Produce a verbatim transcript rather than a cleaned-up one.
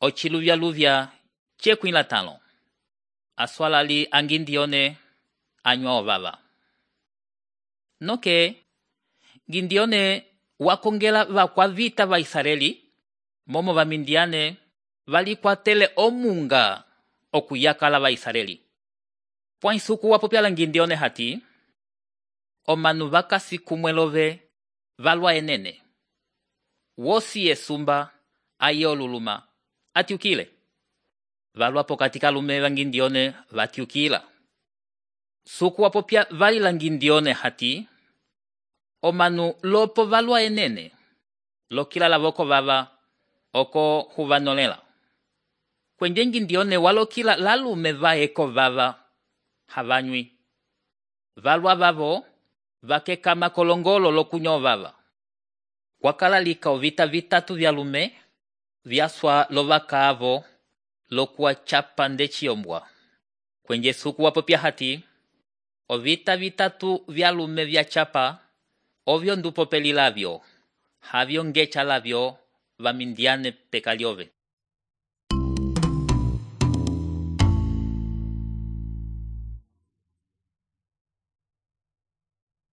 ociluvyaluvya cekwila talo. Aswalali angindione anywa ovava. Noke, Gindione wakongela vakwa vita va Israeli, momo vamindiane valikwatele omunga okuyakala va Israeli. Pwaisuku wapopyala Gindione hati, omanu vakasi kumwelove valwa enene. Wosi esumba aye oluluma atiukile. Valwa pokatika lume va Gindione vatiukila. Suku wapopya valila Gindione hati, omanu lopo valwa enene, lokila lavoko vava oko huvanolela. Kwenye Gindione walokila lalume va eko vava havanywi. Valwa vavo vakekama kolongolo lokunyo vava. Wakala lika ovita vitatu vya lume vyaswa lovaka avo lokuwa chapa ndechi ombwa. Kwenye suku wapopya hati, ovita vitatu vya lume vya chapa ovyo ndupo peli lavyo, havyo ngecha lavyo vamindiane pekaliove.